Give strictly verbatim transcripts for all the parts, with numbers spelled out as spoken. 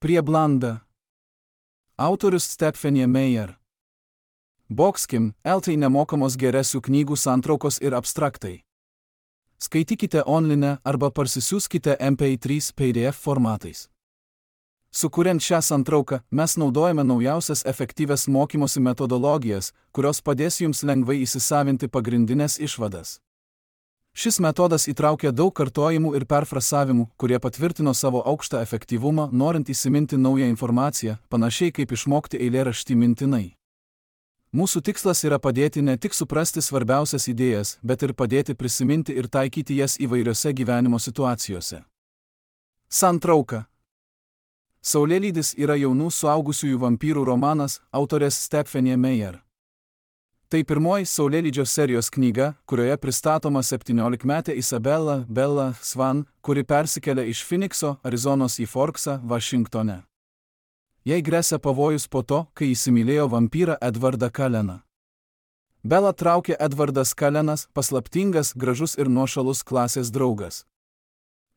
Prieblanda. Autorius Stephanie Meyer. Boxkim, eltai nemokamos geresių knygų santraukos ir abstraktai. Skaitykite online arba parsisiųskite M P trys P D F formatais. Sukuriant šią santrauką, mes naudojame naujausias efektyvias mokymosi metodologijas, kurios padės jums lengvai įsisavinti pagrindinės išvadas. Šis metodas įtraukia daug kartojimų ir perfrasavimų, kurie patvirtino savo aukštą efektyvumą, norint įsiminti naują informaciją, panašiai kaip išmokti eilėraštį mintinai. Mūsų tikslas yra padėti ne tik suprasti svarbiausias idėjas, bet ir padėti prisiminti ir taikyti jas įvairiose gyvenimo situacijose. Santrauka. Saulėlydis yra jaunų suaugusiųjų vampyrų romanas, autorės Stephanie Meyer. Tai pirmoji Saulėlydžio serijos knyga, kurioje pristatoma septyniolikmetė Isabella Bella Swan, kuri persikelia iš Phoenixo, Arizonos į Forksą, Vašingtone. Jai gresia pavojus po to, kai įsimylėjo vampyrą Edvardą Culleną. Bella traukia Edvardas Cullenas, paslaptingas, gražus ir nuošalus klasės draugas.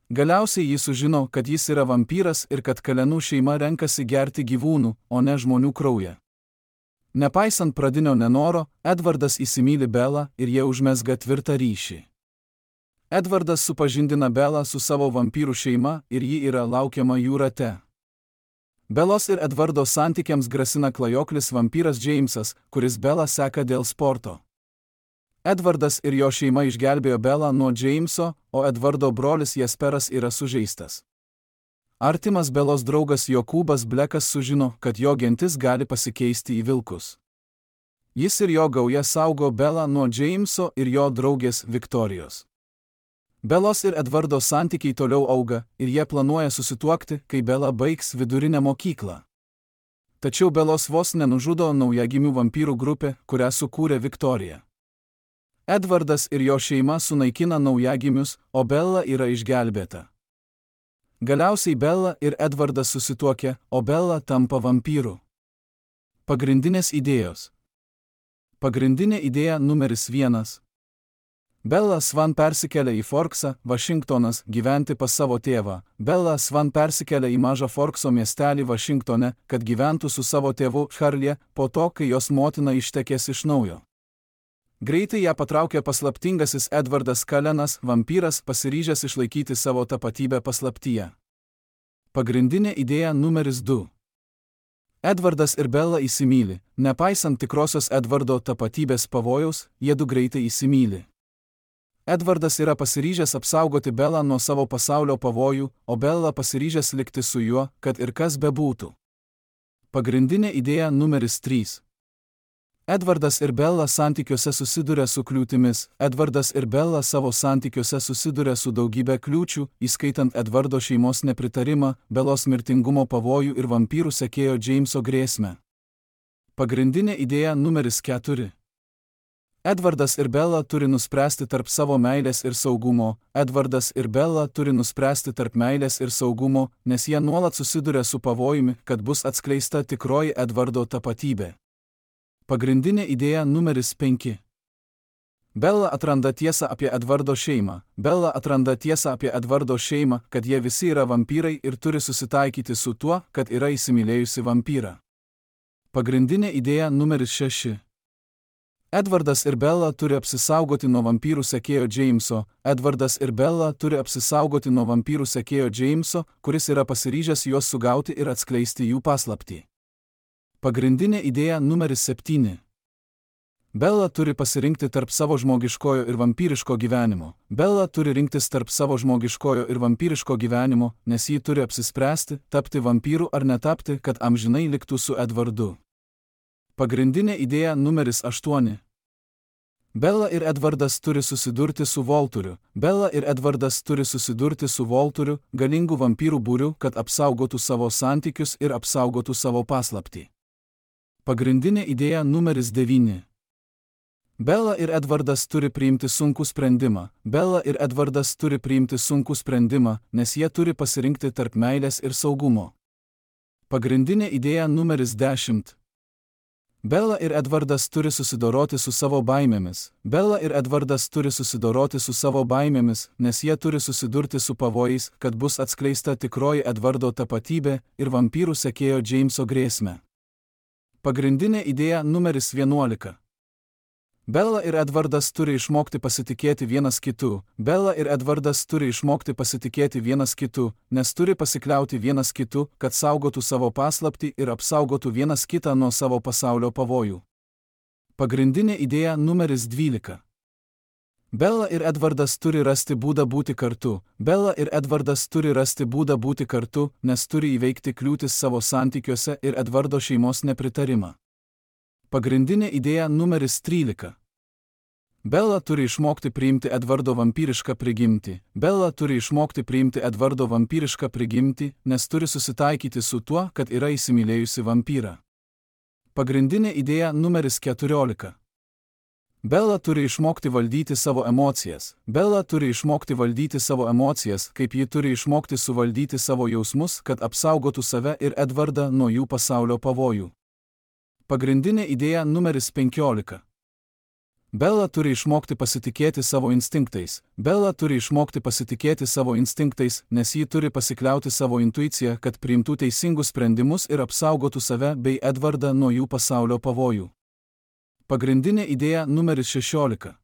Galiausiai jis sužino, kad jis yra vampyras ir kad Cullenų šeima renkasi gerti gyvūnų, o ne žmonių kraują. Nepaisant pradinio nenoro, Edvardas įsimyli Bellą ir jie užmezga tvirtą ryšį. Edvardas supažindina Bellą su savo vampyrų šeima ir ji yra laukiama jų rate. Bellos ir Edvardo santykiams grasina klajoklis vampyras Jamesas, kuris Bellą seka dėl sporto. Edvardas ir jo šeima išgelbėjo Bellą nuo Jameso, o Edvardo brolis Jesperas yra sužeistas. Artimas Bellos draugas Jokūbas Blekas sužino, kad jo gentis gali pasikeisti į vilkus. Jis ir jo gauja saugo Bellą nuo Jameso ir jo draugės Viktorijos. Bellos ir Edvardo santykiai toliau auga ir jie planuoja susituokti, kai Bella baigs vidurinę mokyklą. Tačiau Bellos vos nenužudo naujagimių vampyrų grupė, kurią sukūrė Viktorija. Edvardas ir jo šeima sunaikina naujagimius, o Bella yra išgelbėta. Galiausiai Bella ir Edvardas susituokia, o Bella tampa vampyru. Pagrindinės idėjos. Pagrindinė idėja numeris vienas. Bella Swan persikelia į Forksą, Vašingtonas, gyventi pas savo tėvą. Bella Swan persikelia į mažą Forkso miestelį Vašingtone, kad gyventų su savo tėvu Charlie, po to, kai jos motina ištekės iš naujo. Greitai ją patraukia paslaptingasis Edvardas Cullenas, vampyras, pasiryžęs išlaikyti savo tapatybę paslaptyje. Pagrindinė idėja numeris du. Edvardas ir Bella įsimyli, nepaisant tikrosios Edvardo tapatybės pavojaus, jiedu greitai įsimyli. Edvardas yra pasiryžęs apsaugoti Bellą nuo savo pasaulio pavojų, o Bella pasiryžęs likti su juo, kad ir kas bebūtų. Pagrindinė idėja numeris trys. Edvardas ir Bella santykiuose susiduria su kliūtimis. Edvardas ir Bella savo santykiuose susiduria su daugybė kliūčių, įskaitant Edvardo šeimos nepritarimą, Bellos mirtingumo pavojų ir vampyrų sekėjo Jameso grėsmę. Pagrindinė idėja numeris keturi. Edvardas ir Bella turi nuspręsti tarp savo meilės ir saugumo. Edvardas ir Bella turi nuspręsti tarp meilės ir saugumo, nes jie nuolat susiduria su pavojumi, kad bus atskleista tikroji Edvardo tapatybė. Pagrindinė idėja numeris penki. Bella atranda tiesą apie Edvardo šeimą. Bella atranda tiesą apie Edvardo šeimą, kad jie visi yra vampyrai ir turi susitaikyti su tuo, kad yra įsimylėjusi vampyrą. Pagrindinė idėja numeris šeši. Edvardas ir Bella turi apsisaugoti nuo vampyrų sekėjo Jameso. Edvardas ir Bella turi apsisaugoti nuo vampyrų sekėjo Jameso, kuris yra pasiryžęs juos sugauti ir atskleisti jų paslaptį. Pagrindinė idėja numeris septyni. Bella turi pasirinkti tarp savo žmogiškojo ir vampyriško gyvenimo. Bella turi rinktis tarp savo žmogiškojo ir vampyriško gyvenimo, nes ji turi apsispręsti, tapti vampyru ar netapti, kad amžinai liktų su Edvardu. Pagrindinė idėja numeris aštuoni. Bella ir Edvardas turi susidurti su Volturiu. Bella ir Edvardas turi susidurti su Volturiu, galingu vampyrų būriu, kad apsaugotų savo santykius ir apsaugotų savo paslaptį. Pagrindinė idėja numeris devyni. Bella ir Edvardas turi priimti sunkų sprendimą. Bella ir Edvardas turi priimti sunkų sprendimą, nes jie turi pasirinkti tarp meilės ir saugumo. Pagrindinė idėja numeris dešimt. Bella ir Edvardas turi susidoroti su savo baimėmis. Bella ir Edvardas turi susidoroti su savo baimėmis, nes jie turi susidurti su pavojais, kad bus atskleista tikroji Edvardo tapatybė ir vampyrų sekėjo Jameso grėsmė. Pagrindinė idėja numeris vienuolika. Bella ir Edvardas turi išmokti pasitikėti vienas kitu. Bella ir Edvardas turi išmokti pasitikėti vienas kitu, nes turi pasikliauti vienas kitu, kad saugotų savo paslaptį ir apsaugotų vienas kitą nuo savo pasaulio pavojų. Pagrindinė idėja numeris dvylika. Bella ir Edvardas turi rasti būdą būti kartu. Bella ir Edvardas turi rasti būdą būti kartu, nes turi įveikti kliūtis savo santykiuose ir Edvardo šeimos nepritarimą. Pagrindinė idėja numeris trylika. Bella turi išmokti priimti Edvardo vampyrišką prigimtį. Bella turi išmokti priimti Edvardo vampyrišką prigimtį, nes turi susitaikyti su tuo, kad yra įsimylėjusi vampyrą. Pagrindinė idėja numeris keturiolika. Bella turi išmokti valdyti savo emocijas. Bella turi išmokti valdyti savo emocijas, kaip ji turi išmokti suvaldyti savo jausmus, kad apsaugotų save ir Edvardą nuo jų pasaulio pavojų. Pagrindinė idėja numeris penkiolika. Bella turi išmokti pasitikėti savo instinktais. Bella turi išmokti pasitikėti savo instinktais, nes ji turi pasikliauti savo intuiciją, kad priimtų teisingus sprendimus ir apsaugotų save bei Edvardą nuo jų pasaulio pavojų. Pagrindinė idėja numeris šešiolika.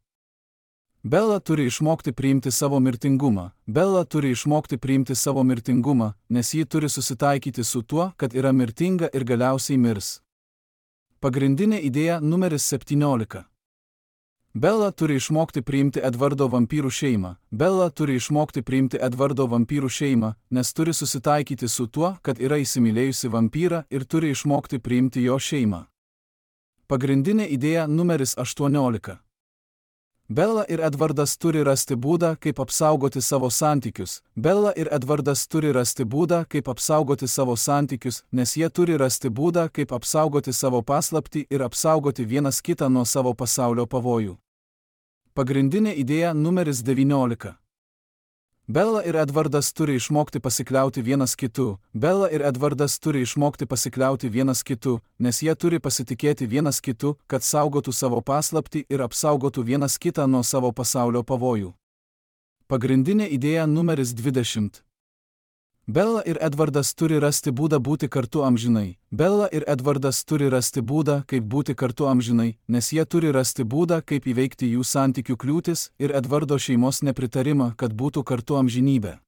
Bella turi išmokti priimti savo mirtingumą. Bella turi išmokti priimti savo mirtingumą, nes ji turi susitaikyti su tuo, kad yra mirtinga ir galiausiai mirs. Pagrindinė idėja numeris septyniolika. Bella turi išmokti priimti Edvardo vampyrų šeimą. Bella turi išmokti priimti Edvardo vampyrų šeimą, nes turi susitaikyti su tuo, kad yra įsimylėjusi vampyrą ir turi išmokti priimti jo šeimą. Pagrindinė idėja numeris aštuoniolika. Bella ir Edvardas turi rasti būdą, kaip apsaugoti savo santykius. Bella ir Edvardas turi rasti būdą, kaip apsaugoti savo santykius, nes jie turi rasti būdą, kaip apsaugoti savo paslaptį ir apsaugoti vienas kitą nuo savo pasaulio pavojų. Pagrindinė idėja numeris devyniolika. Bella ir Edvardas turi išmokti pasikliauti vienas kitu. Bella ir Edvardas turi išmokti pasikliauti vienas kitu, nes jie turi pasitikėti vienas kitu, kad saugotų savo paslaptį ir apsaugotų vienas kitą nuo savo pasaulio pavojų. Pagrindinė idėja numeris dvidešimt. Bella ir Edvardas turi rasti būdą būti kartu amžinai. Bella ir Edvardas turi rasti būdą, kaip būti kartu amžinai, nes jie turi rasti būdą, kaip įveikti jų santykių kliūtis ir Edvardo šeimos nepritarimą, kad būtų kartu amžinybė.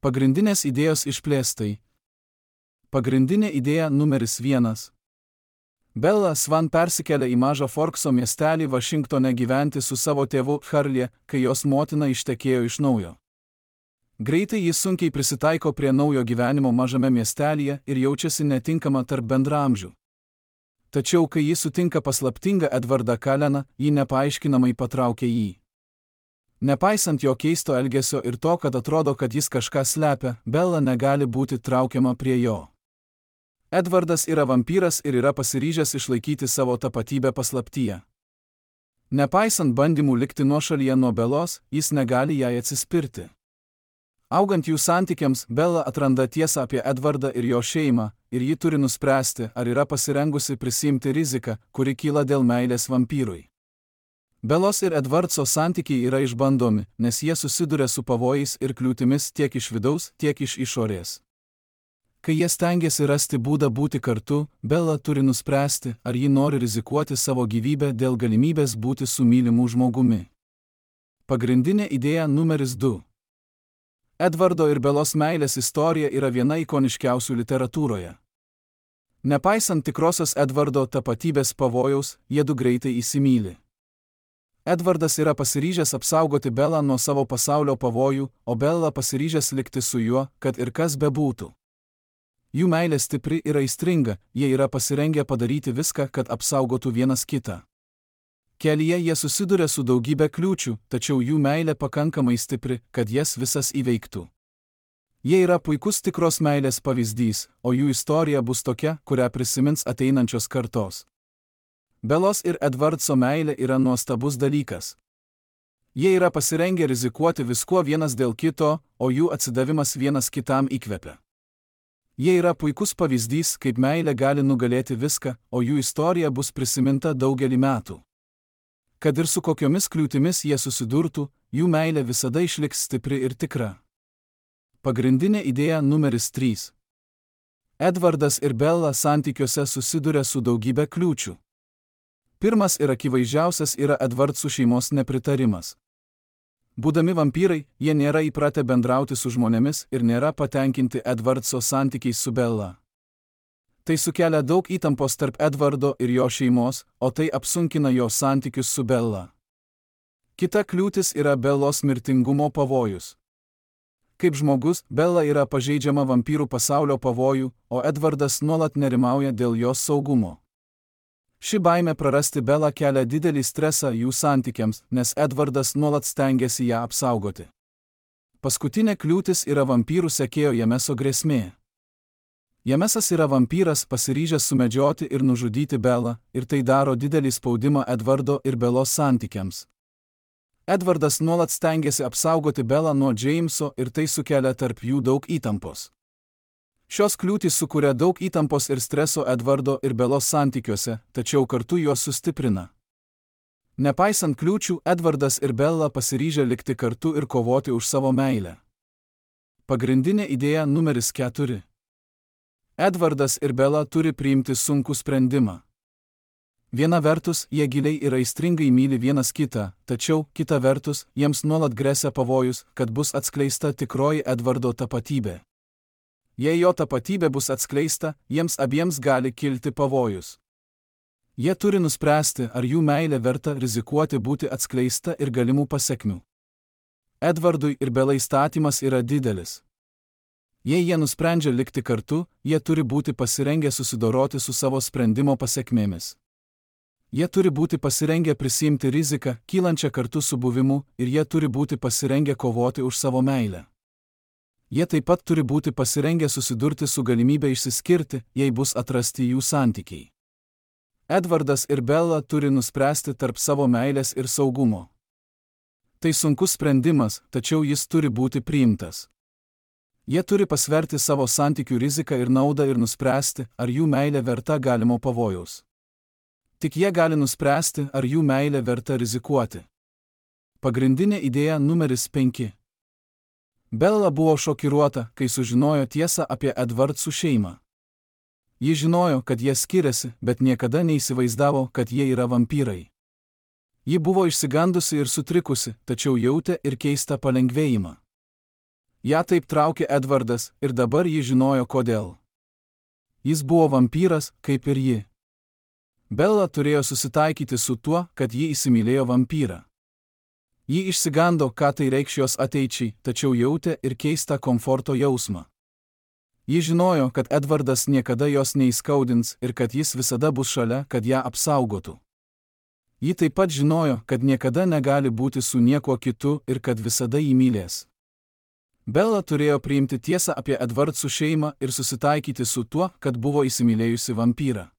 Pagrindinės idėjos išplėstai. Pagrindinė idėja numeris vienas. Bella Swan persikelia į mažą Forkso miestelį Vašingtone gyventi su savo tėvu Charlie, kai jos motina ištekėjo iš naujo. Greitai jis sunkiai prisitaiko prie naujo gyvenimo mažame miestelyje ir jaučiasi netinkama tarp bendraamžių. Tačiau, kai jis sutinka paslaptingą Edvardą Culleną, ji nepaaiškinamai patraukia jį. Nepaisant jo keisto elgesio ir to, kad atrodo, kad jis kažką slepia, Bella negali būti traukiama prie jo. Edvardas yra vampyras ir yra pasiryžęs išlaikyti savo tapatybę paslaptyje. Nepaisant bandymų likti nuošalyje nuo Bellos, jis negali jai atsispirti. Augant jų santykiams, Bella atranda tiesą apie Edvardą ir jo šeimą, ir ji turi nuspręsti, ar yra pasirengusi prisiimti riziką, kuri kyla dėl meilės vampyrui. Bellos ir Edvardso santykiai yra išbandomi, nes jie susiduria su pavojais ir kliūtimis tiek iš vidaus, tiek iš išorės. Kai jie stengiasi rasti būdą būti kartu, Bella turi nuspręsti, ar ji nori rizikuoti savo gyvybę dėl galimybės būti su mylimu žmogumi. Pagrindinė idėja numeris du. Edvardo ir Bellos meilės istorija yra viena ikoniškiausių literatūroje. Nepaisant tikrosios Edvardo tapatybės pavojaus, jie du greitai įsimyli. Edvardas yra pasiryžęs apsaugoti Bellą nuo savo pasaulio pavojų, o Bella pasiryžęs likti su juo, kad ir kas bebūtų. Jų meilė stipri ir aistringa, jie yra pasirengę padaryti viską, kad apsaugotų vienas kitą. Kelyje jie susiduria su daugybė kliūčių, tačiau jų meilė pakankamai stipri, kad jas visas įveiktų. Jie yra puikus tikros meilės pavyzdys, o jų istorija bus tokia, kurią prisimins ateinančios kartos. Bellos ir Edvardso meilė yra nuostabus dalykas. Jie yra pasirengę rizikuoti viskuo vienas dėl kito, o jų atsidavimas vienas kitam įkvepia. Jie yra puikus pavyzdys, kaip meilė gali nugalėti viską, o jų istorija bus prisiminta daugelį metų. Kad ir su kokiomis kliūtimis jie susidurtų, jų meilė visada išliks stipri ir tikra. Pagrindinė idėja numeris trys. Edvardas ir Bella santykiuose susiduria su daugybė kliūčių. Pirmas ir akivaizdžiausias yra Edvardsų šeimos nepritarimas. Būdami vampyrai, jie nėra įpratę bendrauti su žmonėmis ir nėra patenkinti Edvardso santykiais su Bella. Tai sukelia daug įtampos tarp Edvardo ir jo šeimos, o tai apsunkina jo santykius su Bella. Kita kliūtis yra Bellos mirtingumo pavojus. Kaip žmogus, Bella yra pažeidžiama vampyrų pasaulio pavojų, o Edvardas nuolat nerimauja dėl jos saugumo. Ši baimė prarasti Bella kelia didelį stresą jų santykiams, nes Edvardas nuolat stengiasi ją apsaugoti. Paskutinė kliūtis yra vampyrų sekėjo Jameso grėsmė. Jamesas yra vampyras pasiryžęs sumedžioti ir nužudyti Bellą, ir tai daro didelį spaudimą Edvardo ir Bellos santykiams. Edvardas nuolat stengiasi apsaugoti Bellą nuo Jameso ir tai sukelia tarp jų daug įtampos. Šios kliūtys sukuria daug įtampos ir streso Edvardo ir Bellos santykiuose, tačiau kartu juos sustiprina. Nepaisant kliūčių, Edvardas ir Bella pasiryžę likti kartu ir kovoti už savo meilę. Pagrindinė idėja numeris keturi. Edvardas ir Bella turi priimti sunkų sprendimą. Viena vertus, jie giliai ir aistringai myli vienas kitą, tačiau, kita vertus, jiems nuolat gresia pavojus, kad bus atskleista tikroji Edvardo tapatybė. Jei jo tapatybė bus atskleista, jiems abiems gali kilti pavojus. Jie turi nuspręsti, ar jų meilė verta rizikuoti būti atskleista ir galimų pasekmių. Edvardui ir Bellai statymas yra didelis. Jei jie nusprendžia likti kartu, jie turi būti pasirengę susidoroti su savo sprendimo pasekmėmis. Jie turi būti pasirengę prisiimti riziką, kylančią kartu su buvimu, ir jie turi būti pasirengę kovoti už savo meilę. Jie taip pat turi būti pasirengę susidurti su galimybė išsiskirti, jei bus atrasti jų santykiai. Edvardas ir Bella turi nuspręsti tarp savo meilės ir saugumo. Tai sunkus sprendimas, tačiau jis turi būti priimtas. Jie turi pasverti savo santykių riziką ir naudą ir nuspręsti, ar jų meilė verta galimo pavojaus. Tik jie gali nuspręsti, ar jų meilė verta rizikuoti. Pagrindinė idėja numeris penki. Bella buvo šokiruota, kai sužinojo tiesą apie Edvardsų šeimą. Ji žinojo, kad jie skiriasi, bet niekada neįsivaizdavo, kad jie yra vampyrai. Ji buvo išsigandusi ir sutrikusi, tačiau jautė ir keistą palengvėjimą. Ja taip traukė Edvardas, ir dabar ji žinojo kodėl. Jis buvo vampyras, kaip ir ji. Bella turėjo susitaikyti su tuo, kad ji įsimylėjo vampyrą. Ji išsigando, ką tai reikš jos ateičiai, tačiau jautė ir keistą komforto jausmą. Ji žinojo, kad Edvardas niekada jos neįskaudins ir kad jis visada bus šalia, kad ją apsaugotų. Ji taip pat žinojo, kad niekada negali būti su niekuo kitu ir kad visada jį mylės. Bella turėjo priimti tiesą apie Edvardsų šeimą ir susitaikyti su tuo, kad buvo įsimylėjusi vampyrą.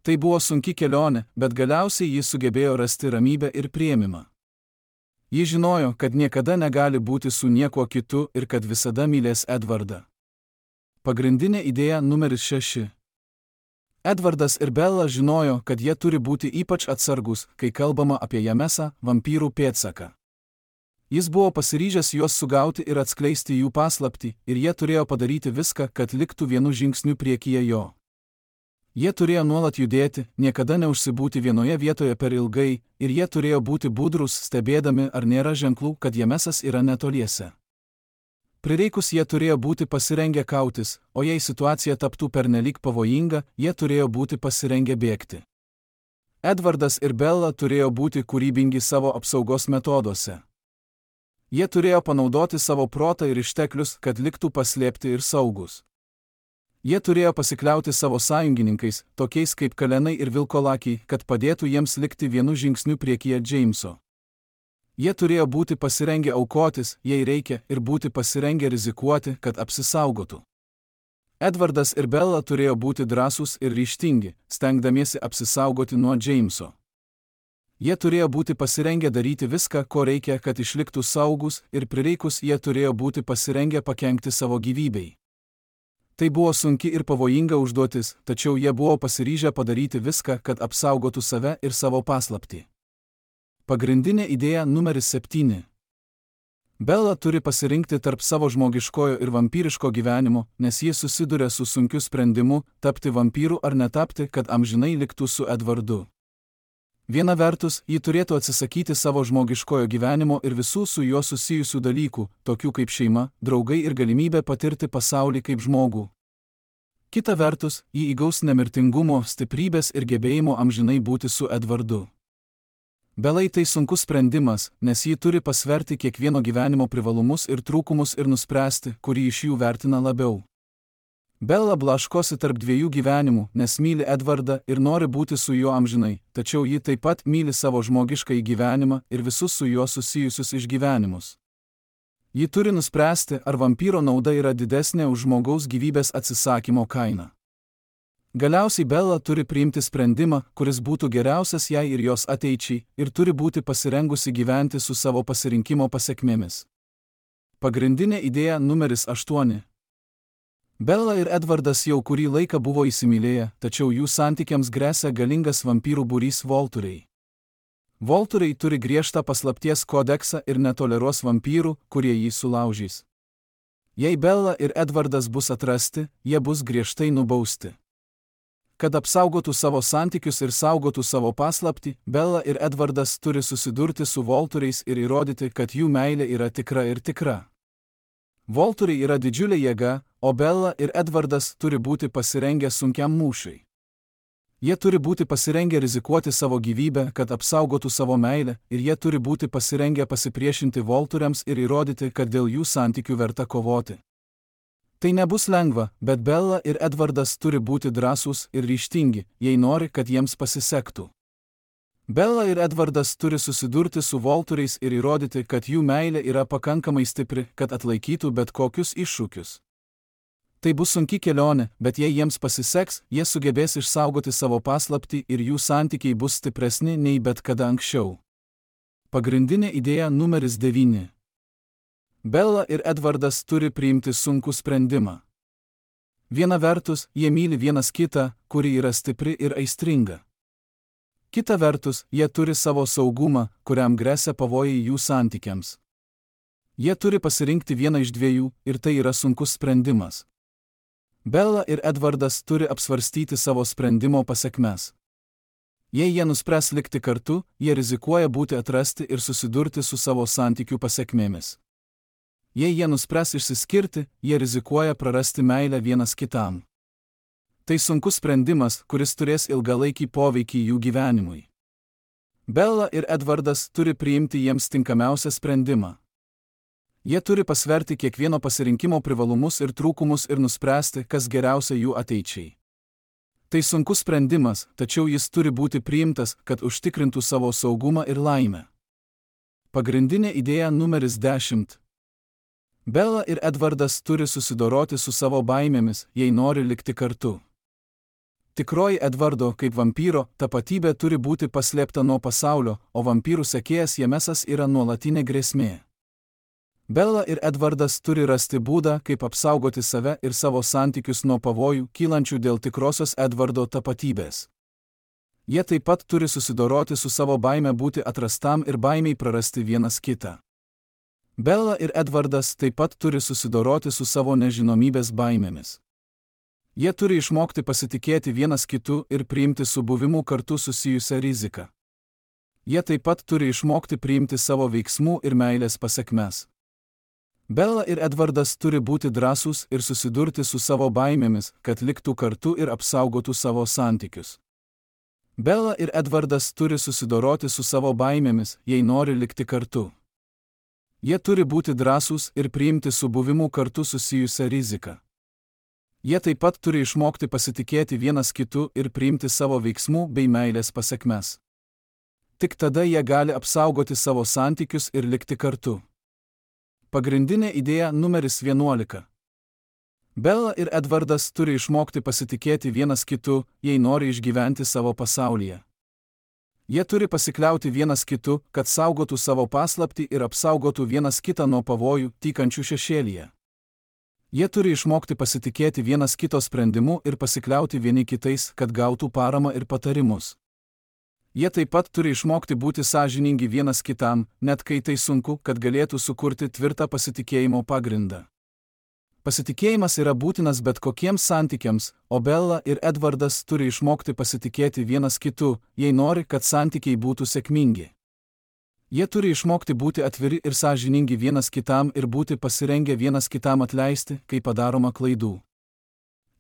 Tai buvo sunki kelionė, bet galiausiai ji sugebėjo rasti ramybę ir priėmimą. Ji žinojo, kad niekada negali būti su niekuo kitu ir kad visada mylės Edvardą. Pagrindinė idėja numeris šeši. Edvardas ir Bella žinojo, kad jie turi būti ypač atsargus, kai kalbama apie Jamesą, vampyrų pėdsaką. Jis buvo pasiryžęs juos sugauti ir atskleisti jų paslaptį, ir jie turėjo padaryti viską, kad liktų vienu žingsniu priekyje jo. Jie turėjo nuolat judėti, niekada neužsibūti vienoje vietoje per ilgai, ir jie turėjo būti budrus, stebėdami, ar nėra ženklų, kad Jamesas yra netoliese. Prireikus jie turėjo būti pasirengę kautis, o jei situacija taptų pernelyg pavojinga, jie turėjo būti pasirengę bėgti. Edvardas ir Bella turėjo būti kūrybingi savo apsaugos metoduose. Jie turėjo panaudoti savo protą ir išteklius, kad liktų paslėpti ir saugus. Jie turėjo pasikliauti savo sąjungininkais, tokiais kaip Kalenai ir Vilkolakiai, kad padėtų jiems likti vienu žingsniu priekyje Jameso. Jie turėjo būti pasirengę aukotis, jei reikia, ir būti pasirengę rizikuoti, kad apsisaugotų. Edvardas ir Bella turėjo būti drąsūs ir ryžtingi, stengdamiesi apsisaugoti nuo Jameso. Jie turėjo būti pasirengę daryti viską, ko reikia, kad išliktų saugus, ir prireikus jie turėjo būti pasirengę pakenkti savo gyvybei. Tai buvo sunki ir pavojinga užduotis, tačiau jie buvo pasiryžę padaryti viską, kad apsaugotų save ir savo paslaptį. Pagrindinė idėja numeris septyni. Bella turi pasirinkti tarp savo žmogiškojo ir vampyriško gyvenimo, nes jis susiduria su sunkiu sprendimu tapti vampyru ar netapti, kad amžinai liktų su Edvardu. Viena vertus, ji turėtų atsisakyti savo žmogiškojo gyvenimo ir visų su juo susijusių dalykų, tokių kaip šeima, draugai ir galimybė patirti pasaulį kaip žmogų. Kita vertus, ji įgaus nemirtingumo, stiprybės ir gebėjimo amžinai būti su Edvardu. Belai tai sunkus sprendimas, nes ji turi pasverti kiekvieno gyvenimo privalumus ir trūkumus ir nuspręsti, kurį iš jų vertina labiau. Bella blaškosi tarp dviejų gyvenimų, nes myli Edvardą ir nori būti su juo amžinai, tačiau ji taip pat myli savo žmogiškąjį gyvenimą ir visus su juo susijusius išgyvenimus. Ji turi nuspręsti, ar vampyro nauda yra didesnė už žmogaus gyvybės atsisakymo kainą. Galiausiai Bella turi priimti sprendimą, kuris būtų geriausias jai ir jos ateičiai, ir turi būti pasirengusi gyventi su savo pasirinkimo pasekmėmis. Pagrindinė idėja numeris aštuoni. Bella ir Edvardas jau kurį laiką buvo įsimylėję, tačiau jų santykiams gresia galingas vampyrų būrys Volturiai. Volturiai turi griežtą paslapties kodeksą ir netoleruos vampyrų, kurie jį sulaužys. Jei Bella ir Edvardas bus atrasti, jie bus griežtai nubausti. Kad apsaugotų savo santykius ir saugotų savo paslaptį, Bella ir Edvardas turi susidurti su Volturiais ir įrodyti, kad jų meilė yra tikra ir tikra. Volturiai yra didžiulė jėga, o Bella ir Edvardas turi būti pasirengę sunkiam mūšiui. Jie turi būti pasirengę rizikuoti savo gyvybę, kad apsaugotų savo meilę, ir jie turi būti pasirengę pasipriešinti Volturiams ir įrodyti, kad dėl jų santykių verta kovoti. Tai nebus lengva, bet Bella ir Edvardas turi būti drąsūs ir ryžtingi, jei nori, kad jiems pasisektų. Bella ir Edvardas turi susidurti su Volturiais ir įrodyti, kad jų meilė yra pakankamai stipri, kad atlaikytų bet kokius iššūkius. Tai bus sunki kelionė, bet jei jiems pasiseks, jie sugebės išsaugoti savo paslaptį ir jų santykiai bus stipresni nei bet kada anksčiau. Pagrindinė idėja numeris devyni. Bella ir Edvardas turi priimti sunkų sprendimą. Viena vertus, jie myli vienas kitą, kuri yra stipri ir aistringa. Kita vertus, jie turi savo saugumą, kuriam gresia pavojai jų santykiams. Jie turi pasirinkti vieną iš dviejų, ir tai yra sunkus sprendimas. Bella ir Edvardas turi apsvarstyti savo sprendimo pasekmes. Jei jie nuspręs likti kartu, jie rizikuoja būti atrasti ir susidurti su savo santykių pasekmėmis. Jei jie nuspręs išsiskirti, jie rizikuoja prarasti meilę vienas kitam. Tai sunkus sprendimas, kuris turės ilgalaikį poveikį jų gyvenimui. Bella ir Edvardas turi priimti jiems tinkamiausią sprendimą. Jie turi pasverti kiekvieno pasirinkimo privalumus ir trūkumus ir nuspręsti, kas geriausia jų ateičiai. Tai sunkus sprendimas, tačiau jis turi būti priimtas, kad užtikrintų savo saugumą ir laimę. Pagrindinė idėja numeris dešimt. Bella ir Edvardas turi susidoroti su savo baimėmis, jei nori likti kartu. Tikroji Edvardo kaip vampyro tapatybė turi būti paslėpta nuo pasaulio, o vampyrų sekėjas Jamesas yra nuolatinė grėsmė. Bella ir Edvardas turi rasti būdą, kaip apsaugoti save ir savo santykius nuo pavojų, kylančių dėl tikrosios Edvardo tapatybės. Jie taip pat turi susidoroti su savo baime būti atrastam ir baimiai prarasti vienas kitą. Bella ir Edvardas taip pat turi susidoroti su savo nežinomybės baimėmis. Jie turi išmokti pasitikėti vienas kitu ir priimti su buvimu kartu susijusią riziką. Jie taip pat turi išmokti priimti savo veiksmų ir meilės pasekmes. Bella ir Edvardas turi būti drąsūs ir susidurti su savo baimėmis, kad liktų kartu ir apsaugotų savo santykius. Bella ir Edvardas turi susidoroti su savo baimėmis, jei nori likti kartu. Jie turi būti drąsūs ir priimti su buvimu kartu susijusią riziką. Jie taip pat turi išmokti pasitikėti vienas kitu ir priimti savo veiksmų bei meilės pasekmes. Tik tada jie gali apsaugoti savo santykius ir likti kartu. Pagrindinė idėja numeris vienuolika. Bella ir Edvardas turi išmokti pasitikėti vienas kitu, jei nori išgyventi savo pasaulyje. Jie turi pasikliauti vienas kitu, kad saugotų savo paslaptį ir apsaugotų vienas kitą nuo pavojų, tykančių šešėlyje. Jie turi išmokti pasitikėti vienas kito sprendimu ir pasikliauti vieni kitais, kad gautų paramą ir patarimus. Jie taip pat turi išmokti būti sąžiningi vienas kitam, net kai tai sunku, kad galėtų sukurti tvirtą pasitikėjimo pagrindą. Pasitikėjimas yra būtinas bet kokiems santykiams, o Bella ir Edvardas turi išmokti pasitikėti vienas kitu, jei nori, kad santykiai būtų sėkmingi. Jie turi išmokti būti atviri ir sąžiningi vienas kitam ir būti pasirengę vienas kitam atleisti, kai padaroma klaidų.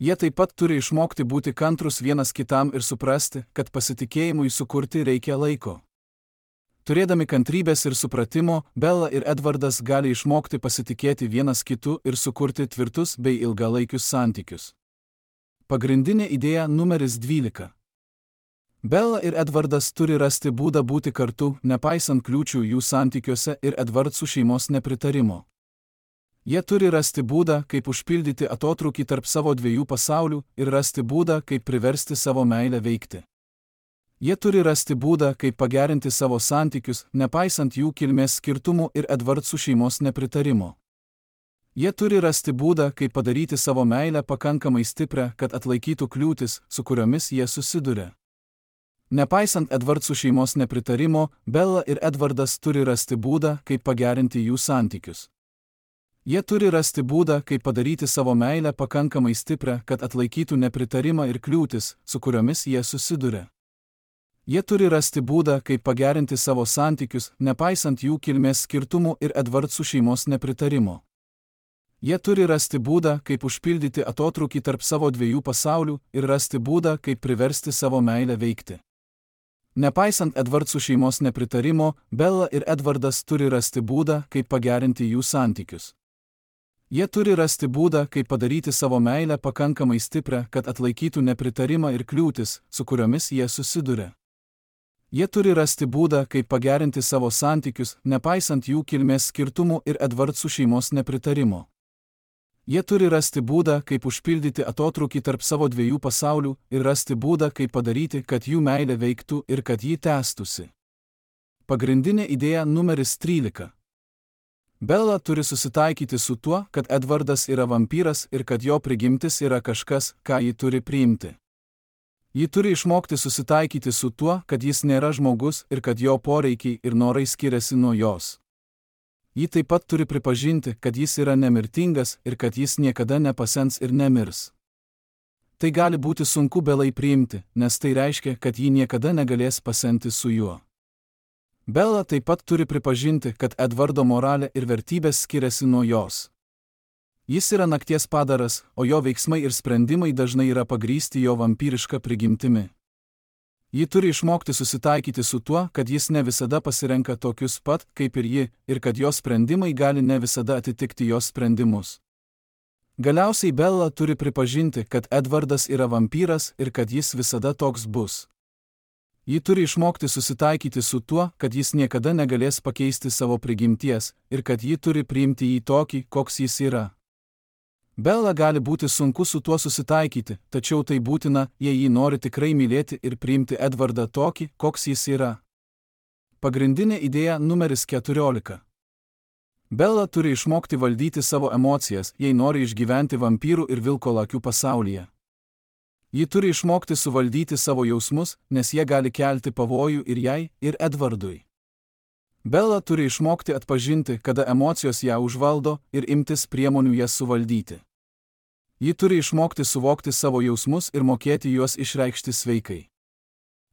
Jie taip pat turi išmokti būti kantrus vienas kitam ir suprasti, kad pasitikėjimui sukurti reikia laiko. Turėdami kantrybės ir supratimo, Bella ir Edvardas gali išmokti pasitikėti vienas kitu ir sukurti tvirtus bei ilgalaikius santykius. Pagrindinė idėja numeris dvylika. Bella ir Edvardas turi rasti būdą būti kartu, nepaisant kliūčių jų santykiuose ir Edvardsų šeimos nepritarimo. Jie turi rasti būdą, kaip užpildyti atotrūkį tarp savo dviejų pasaulių ir rasti būdą, kaip priversti savo meilę veikti. Jie turi rasti būdą, kaip pagerinti savo santykius, nepaisant jų kilmės skirtumų ir Edvardsų šeimos nepritarimo. Jie turi rasti būdą, kaip padaryti savo meilę pakankamai stiprią, kad atlaikytų kliūtis, su kuriomis jie susiduria. Nepaisant Edvardsų šeimos nepritarimo, Bella ir Edvardas turi rasti būdą, kaip pagerinti jų santykius. Jie turi rasti būdą, kaip padaryti savo meilę pakankamai stiprią, kad atlaikytų nepritarimą ir kliūtis, su kuriomis jie susiduria. Jie turi rasti būdą, kaip pagerinti savo santykius, nepaisant jų kilmės skirtumų ir Edvardsų šeimos nepritarimo. Jie turi rasti būdą, kaip užpildyti atotrūkį tarp savo dviejų pasaulių ir rasti būdą, kaip priversti savo meilę veikti. Nepaisant Edvardsų šeimos nepritarimo, Bella ir Edvardas turi rasti būdą, kaip pagerinti jų santykius. Jie turi rasti būdą, kaip padaryti savo meilę pakankamai stiprią, kad atlaikytų nepritarimą ir kliūtis, su kuriomis jie susiduria. Jie turi rasti būdą, kaip pagerinti savo santykius, nepaisant jų kilmės skirtumų ir Edvardsų šeimos nepritarimo. Jie turi rasti būdą, kaip užpildyti atotrūkį tarp savo dviejų pasaulių ir rasti būdą, kaip padaryti, kad jų meilė veiktų ir kad ji tęstųsi. Pagrindinė idėja numeris trylika. Bella turi susitaikyti su tuo, kad Edvardas yra vampyras ir kad jo prigimtis yra kažkas, ką ji turi priimti. Ji turi išmokti susitaikyti su tuo, kad jis nėra žmogus ir kad jo poreikiai ir norai skiriasi nuo jos. Ji taip pat turi pripažinti, kad jis yra nemirtingas ir kad jis niekada nepasens ir nemirs. Tai gali būti sunku Belai priimti, nes tai reiškia, kad ji niekada negalės pasenti su juo. Bella taip pat turi pripažinti, kad Edvardo moralė ir vertybės skiriasi nuo jos. Jis yra nakties padaras, o jo veiksmai ir sprendimai dažnai yra pagrįsti jo vampyriška prigimtimi. Ji turi išmokti susitaikyti su tuo, kad jis ne visada pasirenka tokius pat, kaip ir ji, ir kad jos sprendimai gali ne visada atitikti jos sprendimus. Galiausiai Bella turi pripažinti, kad Edvardas yra vampyras ir kad jis visada toks bus. Ji turi išmokti susitaikyti su tuo, kad jis niekada negalės pakeisti savo prigimties ir kad ji turi priimti jį tokį, koks jis yra. Bella gali būti sunku su tuo susitaikyti, tačiau tai būtina, jei ji nori tikrai mylėti ir priimti Edvardą tokį, koks jis yra. Pagrindinė idėja numeris keturiolika. Bella turi išmokti valdyti savo emocijas, jei nori išgyventi vampyrų ir vilkolakių pasaulyje. Ji turi išmokti suvaldyti savo jausmus, nes jie gali kelti pavojų ir jai, ir Edvardui. Bella turi išmokti atpažinti, kada emocijos ją užvaldo ir imtis priemonių jas suvaldyti. Ji turi išmokti suvokti savo jausmus ir mokėti juos išreikšti sveikai.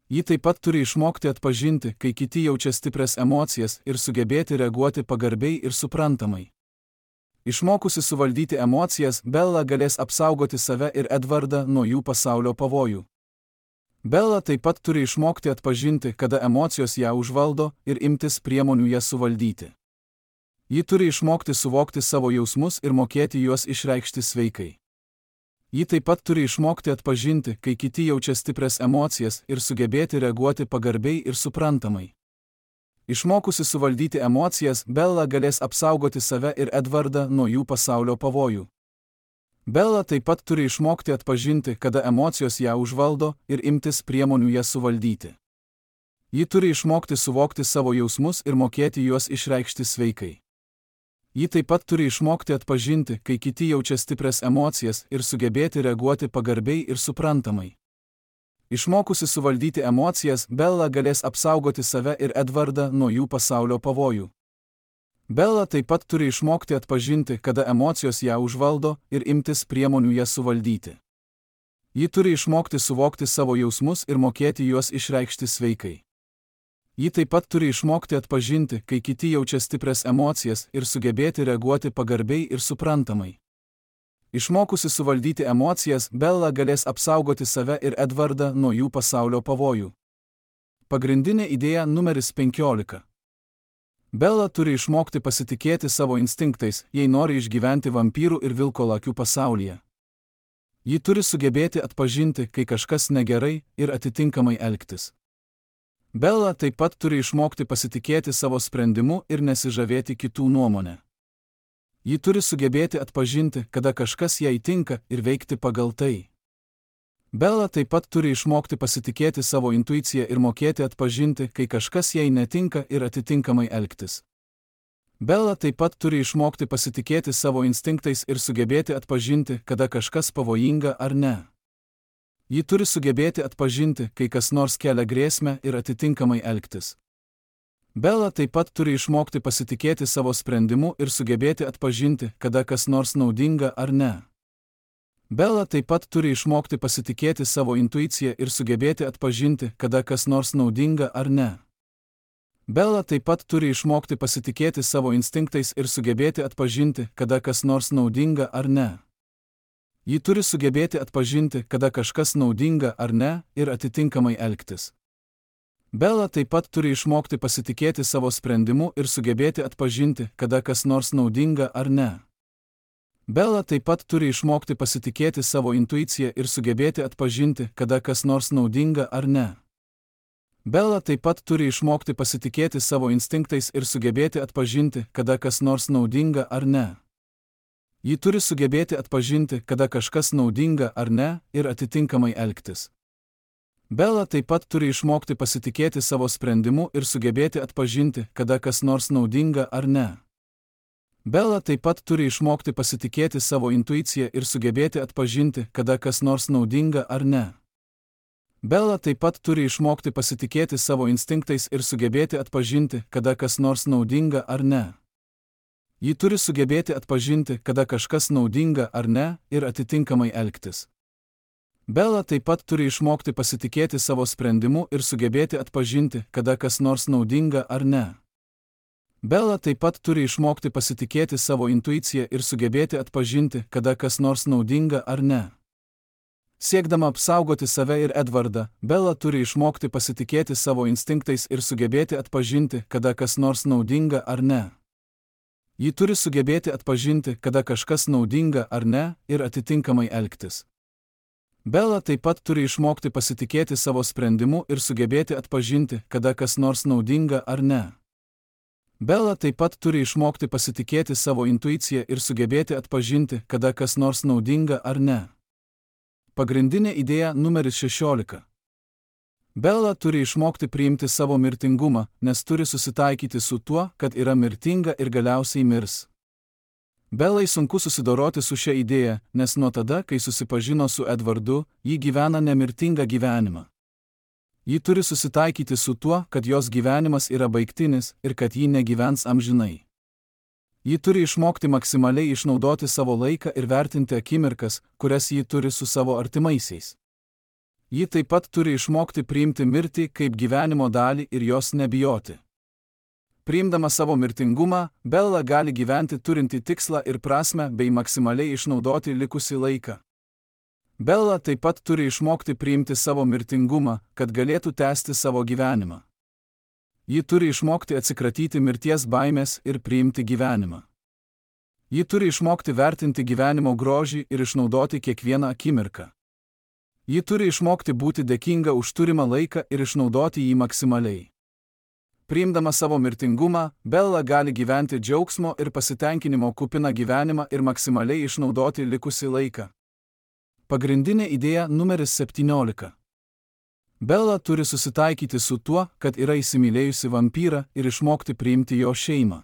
Ji taip pat turi išmokti atpažinti, kai kiti jaučia stiprias emocijas ir sugebėti reaguoti pagarbiai ir suprantamai. Išmokusi suvaldyti emocijas, Bella galės apsaugoti save ir Edvardą nuo jų pasaulio pavojų. Bella taip pat turi išmokti atpažinti, kada emocijos ją užvaldo ir imtis priemonių jas suvaldyti. Ji turi išmokti suvokti savo jausmus ir mokėti juos išreikšti sveikai. Ji taip pat turi išmokti atpažinti, kai kiti jaučia stiprias emocijas ir sugebėti reaguoti pagarbiai ir suprantamai. Išmokusi suvaldyti emocijas, Bella galės apsaugoti save ir Edvardą nuo jų pasaulio pavojų. Bella taip pat turi išmokti atpažinti, kada emocijos ją užvaldo ir imtis priemonių jas suvaldyti. Ji turi išmokti suvokti savo jausmus ir mokėti juos išreikšti sveikai. Ji taip pat turi išmokti atpažinti, kai kiti jaučia stiprias emocijas ir sugebėti reaguoti pagarbiai ir suprantamai. Išmokusi suvaldyti emocijas, Bella galės apsaugoti save ir Edvardą nuo jų pasaulio pavojų. Bella taip pat turi išmokti atpažinti, kada emocijos ją užvaldo ir imtis priemonių jas suvaldyti. Ji turi išmokti suvokti savo jausmus ir mokėti juos išreikšti sveikai. Ji taip pat turi išmokti atpažinti, kai kiti jaučia stiprias emocijas ir sugebėti reaguoti pagarbiai ir suprantamai. Išmokusi suvaldyti emocijas, Bella galės apsaugoti save ir Edvardą nuo jų pasaulio pavojų. Pagrindinė idėja numeris penkiolika. Bella turi išmokti pasitikėti savo instinktais, jei nori išgyventi vampyrų ir vilkolakių pasaulyje. Ji turi sugebėti atpažinti, kai kažkas negerai ir atitinkamai elgtis. Bella taip pat turi išmokti pasitikėti savo sprendimu ir nesižavėti kitų nuomonę. Ji turi sugebėti atpažinti, kada kažkas jai tinka ir veikti pagal tai. Bella taip pat turi išmokti pasitikėti savo intuiciją ir mokėti atpažinti, kai kažkas jai netinka ir atitinkamai elgtis. Bella taip pat turi išmokti pasitikėti savo instinktais ir sugebėti atpažinti, kada kažkas pavojinga ar ne. Ji turi sugebėti atpažinti, kai kas nors kelia grėsmę ir atitinkamai elgtis. Bella taip pat turi išmokti pasitikėti savo sprendimu ir sugebėti atpažinti, kada kas nors naudinga ar ne. Bella taip pat turi išmokti pasitikėti savo intuiciją ir sugebėti atpažinti, kada kas nors naudinga ar ne. Bella taip pat turi išmokti pasitikėti savo instinktais ir sugebėti atpažinti, kada kas nors naudinga ar ne. Ji turi sugebėti atpažinti, kada kažkas naudinga ar ne, ir atitinkamai elgtis. Bella taip pat turi išmokti pasitikėti savo sprendimu ir sugebėti atpažinti, kada kas nors naudinga ar ne. Bella taip pat turi išmokti pasitikėti savo intuiciją ir sugebėti atpažinti, kada kas nors naudinga ar ne. Bella taip pat turi išmokti pasitikėti savo instinktais ir sugebėti atpažinti, kada kas nors naudinga ar ne. Ji turi sugebėti atpažinti, kada kažkas naudinga ar ne, ir atitinkamai elgtis. Bella taip pat turi išmokti pasitikėti savo sprendimu ir sugebėti atpažinti, kada kas nors naudinga ar ne. Bella taip pat turi išmokti pasitikėti savo intuiciją ir sugebėti atpažinti, kada kas nors naudinga ar ne. Bella taip pat turi išmokti pasitikėti savo instinktais ir sugebėti atpažinti, kada kas nors naudinga ar ne. Ji turi sugebėti atpažinti, kada kažkas naudinga ar ne, ir atitinkamai elgtis. Bella taip pat turi išmokti pasitikėti savo sprendimu ir sugebėti atpažinti, kada kas nors naudinga ar ne. Bella taip pat turi išmokti pasitikėti savo intuiciją ir sugebėti atpažinti, kada kas nors naudinga ar ne. Siekdama apsaugoti save ir Edvardą, Bella turi išmokti pasitikėti savo instinktais ir sugebėti atpažinti, kada kas nors naudinga ar ne. Ji turi sugebėti atpažinti, kada kažkas naudinga ar ne, ir atitinkamai elgtis. Bella taip pat turi išmokti pasitikėti savo sprendimu ir sugebėti atpažinti, kada kas nors naudinga ar ne. Bella taip pat turi išmokti pasitikėti savo intuiciją ir sugebėti atpažinti, kada kas nors naudinga ar ne. Pagrindinė idėja numeris šešiolika. Bella turi išmokti priimti savo mirtingumą, nes turi susitaikyti su tuo, kad yra mirtinga ir galiausiai mirs. Bellai sunku susidoroti su šia idėja, nes nuo tada, kai susipažino su Edvardu, ji gyvena nemirtingą gyvenimą. Ji turi susitaikyti su tuo, kad jos gyvenimas yra baigtinis ir kad ji negyvens amžinai. Ji turi išmokti maksimaliai išnaudoti savo laiką ir vertinti akimirkas, kurias ji turi su savo artimaisiais. Ji taip pat turi išmokti priimti mirtį kaip gyvenimo dalį ir jos nebijoti. Priimdama savo mirtingumą, Bella gali gyventi turinti tikslą ir prasmę bei maksimaliai išnaudoti likusį laiką. Bella taip pat turi išmokti priimti savo mirtingumą, kad galėtų tęsti savo gyvenimą. Ji turi išmokti atsikratyti mirties baimės ir priimti gyvenimą. Ji turi išmokti vertinti gyvenimo grožį ir išnaudoti kiekvieną akimirką. Ji turi išmokti būti dėkinga už turimą laiką ir išnaudoti jį maksimaliai. Priimdama savo mirtingumą, Bella gali gyventi džiaugsmo ir pasitenkinimo kupiną gyvenimą ir maksimaliai išnaudoti likusį laiką. Pagrindinė idėja numeris septyniolika. Bella turi susitaikyti su tuo, kad yra įsimylėjusi vampyrą ir išmokti priimti jo šeimą.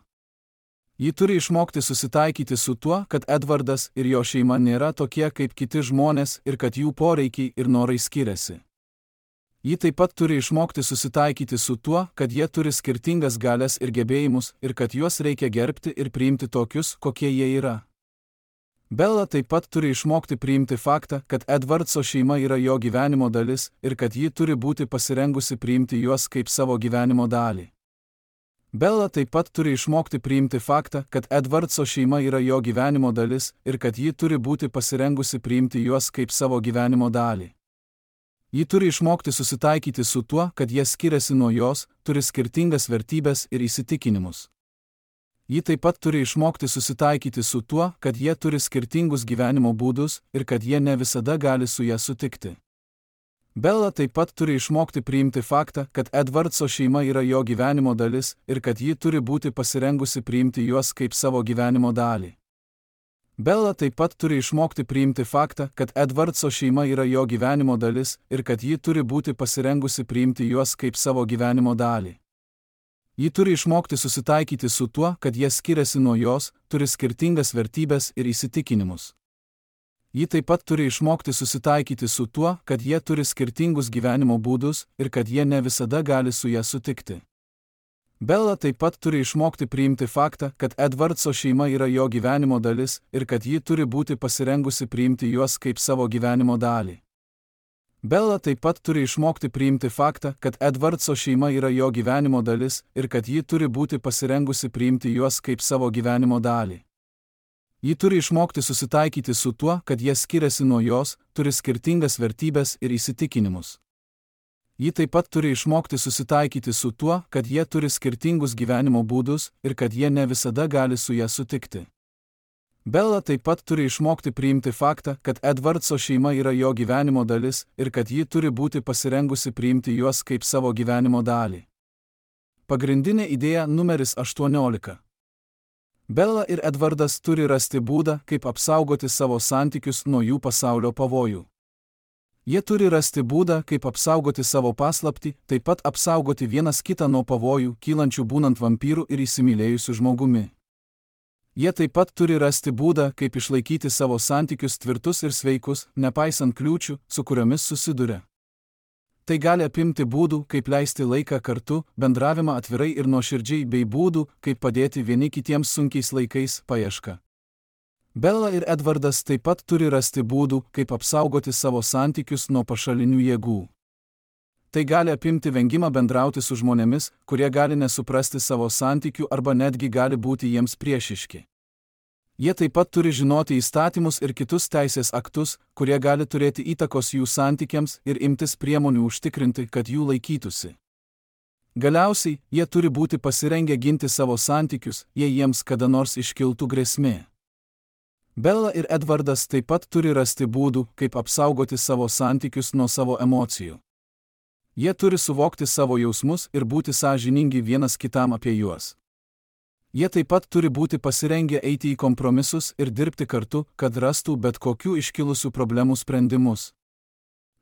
Ji turi išmokti susitaikyti su tuo, kad Edvardas ir jo šeima nėra tokie kaip kiti žmonės ir kad jų poreikiai ir norai skiriasi. Ji taip pat turi išmokti susitaikyti su tuo, kad jie turi skirtingas galias ir gebėjimus ir kad juos reikia gerbti ir priimti tokius, kokie jie yra. Bella taip pat turi išmokti priimti faktą, kad Edvardso šeima yra jo gyvenimo dalis ir kad ji turi būti pasirengusi priimti juos kaip savo gyvenimo dalį. Bella taip pat turi išmokti priimti faktą, kad Edvardso šeima yra jo gyvenimo dalis ir kad ji turi būti pasirengusi priimti juos kaip savo gyvenimo dalį. Ji turi išmokti susitaikyti su tuo, kad jie skiriasi nuo jos, turi skirtingas vertybes ir įsitikinimus. Ji taip pat turi išmokti susitaikyti su tuo, kad jie turi skirtingus gyvenimo būdus ir kad jie ne visada gali su ją sutikti. Bella taip pat turi išmokti priimti faktą, kad Edvardso šeima yra jo gyvenimo dalis ir kad ji turi būti pasirengusi priimti juos kaip savo gyvenimo dalį. Bella taip pat turi išmokti priimti faktą, kad Edvardso šeima yra jo gyvenimo dalis ir kad ji turi būti pasirengusi priimti juos kaip savo gyvenimo dalį. Ji turi išmokti susitaikyti su tuo, kad jie skiriasi nuo jos, turi skirtingas vertybes ir įsitikinimus. Ji taip pat turi išmokti susitaikyti su tuo, kad jie turi skirtingus gyvenimo būdus ir kad jie ne visada gali su ją sutikti. Bella taip pat turi išmokti priimti faktą, kad Edvardso šeima yra jo gyvenimo dalis ir kad ji turi būti pasirengusi priimti juos kaip savo gyvenimo dalį. Bella taip pat turi išmokti priimti faktą, kad Edvardso šeima yra jo gyvenimo dalis ir kad ji turi būti pasirengusi priimti juos kaip savo gyvenimo dalį. Ji turi išmokti susitaikyti su tuo, kad jie skiriasi nuo jos, turi skirtingas vertybes ir įsitikinimus. Ji taip pat turi išmokti susitaikyti su tuo, kad jie turi skirtingus gyvenimo būdus ir kad jie ne visada gali su ją sutikti. Bella taip pat turi išmokti priimti faktą, kad Edvardso šeima yra jo gyvenimo dalis ir kad ji turi būti pasirengusi priimti juos kaip savo gyvenimo dalį. Pagrindinė idėja numeris aštuoniolika. Bella ir Edvardas turi rasti būdą, kaip apsaugoti savo santykius nuo jų pasaulio pavojų. Jie turi rasti būdą, kaip apsaugoti savo paslaptį, taip pat apsaugoti vienas kitą nuo pavojų, kylančių būnant vampyrų ir įsimylėjusių žmogumi. Jie taip pat turi rasti būdą, kaip išlaikyti savo santykius tvirtus ir sveikus, nepaisant kliūčių, su kuriomis susiduria. Tai gali apimti būdų, kaip leisti laiką kartu, bendravimą atvirai ir nuoširdžiai bei būdų, kaip padėti vieni kitiems sunkiais laikais, paieška. Bella ir Edvardas taip pat turi rasti būdų, kaip apsaugoti savo santykius nuo pašalinių jėgų. Tai gali apimti vengimą bendrauti su žmonėmis, kurie gali nesuprasti savo santykių arba netgi gali būti jiems priešiški. Jie taip pat turi žinoti įstatymus ir kitus teisės aktus, kurie gali turėti įtakos jų santykiams ir imtis priemonių užtikrinti, kad jų laikytųsi. Galiausiai, jie turi būti pasirengę ginti savo santykius, jei jiems kada nors iškiltų grėsmė. Bella ir Edvardas taip pat turi rasti būdų, kaip apsaugoti savo santykius nuo savo emocijų. Jie turi suvokti savo jausmus ir būti sąžiningi vienas kitam apie juos. Jie taip pat turi būti pasirengę eiti į kompromisus ir dirbti kartu, kad rastų bet kokių iškilusių problemų sprendimus.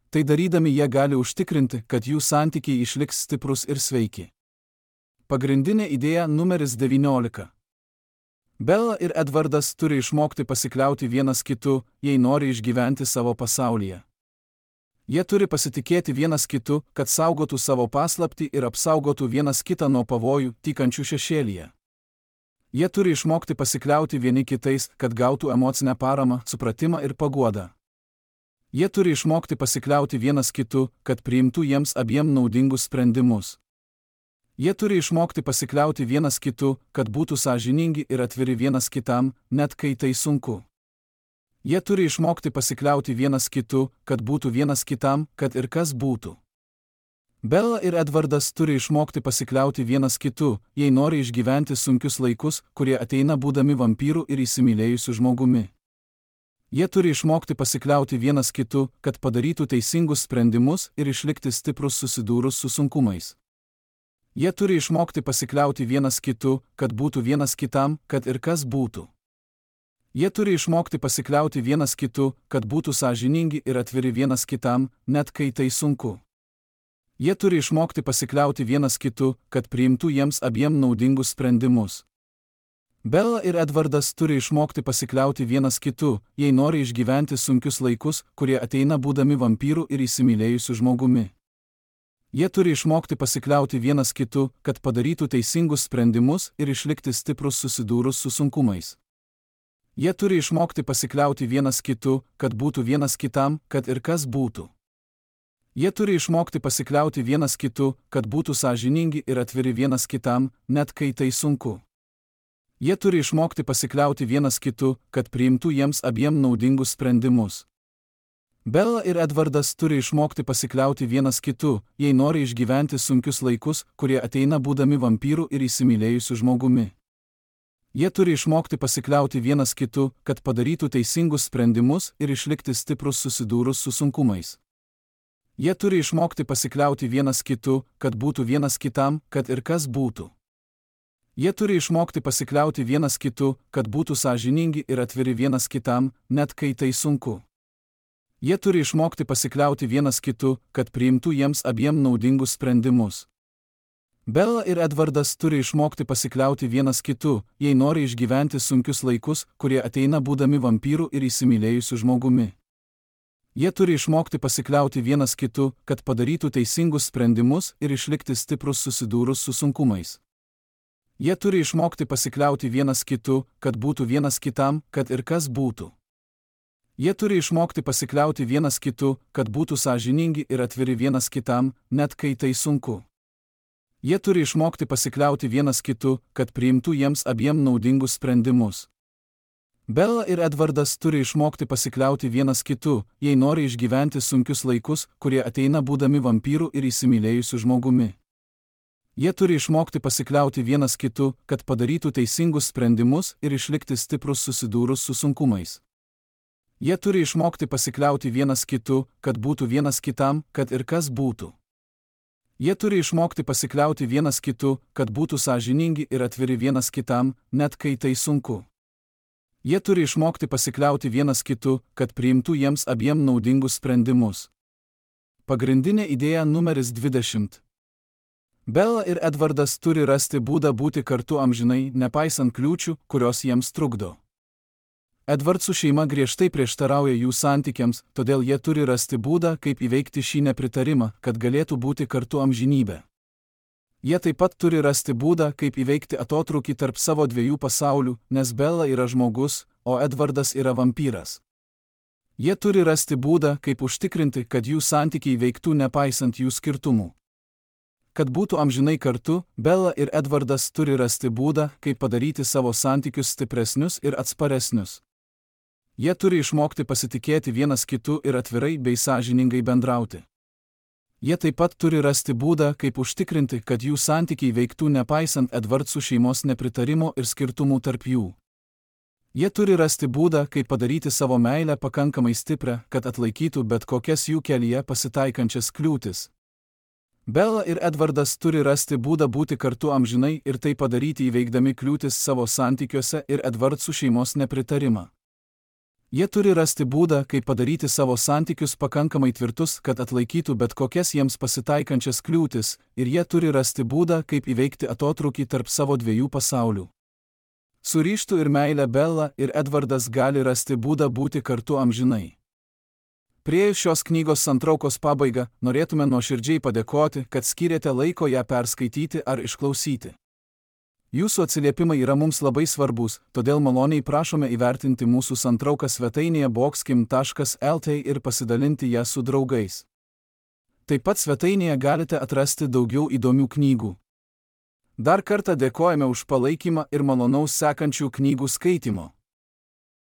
Tai darydami jie gali užtikrinti, kad jų santykiai išliks stiprus ir sveiki. Pagrindinė idėja numeris devyniolika. Bella ir Edvardas turi išmokti pasikliauti vienas kitu, jei nori išgyventi savo pasaulyje. Jie turi pasitikėti vienas kitu, kad saugotų savo paslaptį ir apsaugotų vienas kitą nuo pavojų, tykančių šešėlyje. Jie turi išmokti pasikliauti vieni kitais, kad gautų emocinę paramą, supratimą ir paguodą. Jie turi išmokti pasikliauti vienas kitu, kad priimtų jiems abiem naudingus sprendimus. Jie turi išmokti pasikliauti vienas kitu, kad būtų sąžiningi ir atviri vienas kitam, net kai tai sunku. Jie turi išmokti pasikliauti vienas kitu, kad būtų vienas kitam, kad ir kas būtų. Bella ir Edvardas turi išmokti pasikliauti vienas kitu, jei nori išgyventi sunkius laikus, kurie ateina būdami vampyrų ir įsimylėjusių žmogumi. Jie turi išmokti pasikliauti vienas kitu, kad padarytų teisingus sprendimus ir išlikti stiprus susidūrus su sunkumais. Jie turi išmokti pasikliauti vienas kitu, kad būtų vienas kitam, kad ir kas būtų. Jie turi išmokti pasikliauti vienas kitu, kad būtų sąžiningi ir atviri vienas kitam, net kai tai sunku. Jie turi išmokti pasikliauti vienas kitu, kad priimtų jiems abiem naudingus sprendimus. Bella ir Edvardas turi išmokti pasikliauti vienas kitu, jei nori išgyventi sunkius laikus, kurie ateina būdami vampyrų ir įsimylėjusių žmogumi. Jie turi išmokti pasikliauti vienas kitu, kad padarytų teisingus sprendimus ir išlikti stiprus susidūrus su sunkumais. Jie turi išmokti pasikliauti vienas kitu, kad būtų vienas kitam, kad ir kas būtų. Jie turi išmokti pasikliauti vienas kitu, kad būtų sąžiningi ir atviri vienas kitam, net kai tai sunku. Jie turi išmokti pasikliauti vienas kitu, kad priimtų jiems abiem naudingus sprendimus. Bella ir Edvardas turi išmokti pasikliauti vienas kitu, jei nori išgyventi sunkius laikus, kurie ateina būdami vampyrų ir įsimylėjusių žmogumi. Jie turi išmokti pasikliauti vienas kitu, kad padarytų teisingus sprendimus ir išlikti stiprus susidūrus su sunkumais. Jie turi išmokti pasikliauti vienas kitu, kad būtų vienas kitam, kad ir kas būtų. Jie turi išmokti pasikliauti vienas kitu, kad būtų sąžiningi ir atviri vienas kitam, net kai tai sunku. Jie turi išmokti pasikliauti vienas kitu, kad priimtų jiems abiem naudingus sprendimus. Bella ir Edvardas turi išmokti pasikliauti vienas kitu, jei nori išgyventi sunkius laikus, kurie ateina būdami vampyrų ir įsimylėjusių žmogumi. Jie turi išmokti pasikliauti vienas kitu, kad padarytų teisingus sprendimus ir išlikti stiprus susidūrus su sunkumais. Jie turi išmokti pasikliauti vienas kitu, kad būtų vienas kitam, kad ir kas būtų. Jie turi išmokti pasikliauti vienas kitu, kad būtų sąžiningi ir atviri vienas kitam, net kai tai sunku. Jie turi išmokti pasikliauti vienas kitu, kad priimtų jiems abiem naudingus sprendimus. Bella ir Edvardas turi išmokti pasikliauti vienas kitu, jei nori išgyventi sunkius laikus, kurie ateina būdami vampyrų ir įsimylėjusių žmogumi. Jie turi išmokti pasikliauti vienas kitu, kad padarytų teisingus sprendimus ir išlikti stiprus susidūrus su sunkumais. Jie turi išmokti pasikliauti vienas kitu, kad būtų vienas kitam, kad ir kas būtų. Jie turi išmokti pasikliauti vienas kitu, kad būtų sąžiningi ir atviri vienas kitam, net kai tai sunku. Jie turi išmokti pasikliauti vienas kitu, kad priimtų jiems abiem naudingus sprendimus. Pagrindinė idėja numeris dvidešimt. Bella ir Edvardas turi rasti būdą būti kartu amžinai, nepaisant kliūčių, kurios jiems trukdo. Edvardsų šeima griežtai prieštarauja jų santykiams, todėl jie turi rasti būdą, kaip įveikti šį nepritarimą, kad galėtų būti kartu amžinybę. Jie taip pat turi rasti būdą, kaip įveikti atotrūkį tarp savo dviejų pasaulių, nes Bella yra žmogus, o Edvardas yra vampyras. Jie turi rasti būdą, kaip užtikrinti, kad jų santykiai veiktų nepaisant jų skirtumų. Kad būtų amžinai kartu, Bella ir Edvardas turi rasti būdą, kaip padaryti savo santykius stipresnius ir atsparesnius. Jie turi išmokti pasitikėti vienas kitu ir atvirai bei sąžiningai bendrauti. Jie taip pat turi rasti būdą, kaip užtikrinti, kad jų santykiai veiktų nepaisant Edvardsų šeimos nepritarimo ir skirtumų tarp jų. Jie turi rasti būdą, kaip padaryti savo meilę pakankamai stiprią, kad atlaikytų bet kokias jų kelyje pasitaikančias kliūtis. Bella ir Edvardas turi rasti būdą būti kartu amžinai ir tai padaryti įveikdami kliūtis savo santykiuose ir Edvardsų šeimos nepritarimą. Jie turi rasti būdą, kaip padaryti savo santykius pakankamai tvirtus, kad atlaikytų bet kokias jiems pasitaikančias kliūtis, ir jie turi rasti būdą, kaip įveikti atotrūkį tarp savo dviejų pasaulių. Su ryžtu ir meile Bella ir Edvardas gali rasti būdą būti kartu amžinai. Priėjus šios knygos santraukos pabaigą, norėtume nuoširdžiai padėkoti, kad skyrėte laiko ją perskaityti ar išklausyti. Jūsų atsiliepimai yra mums labai svarbus, todėl maloniai prašome įvertinti mūsų santrauką svetainėje boxkim taškas el t ir pasidalinti ją su draugais. Taip pat svetainėje galite atrasti daugiau įdomių knygų. Dar kartą dėkojame už palaikymą ir malonaus sekančių knygų skaitimo.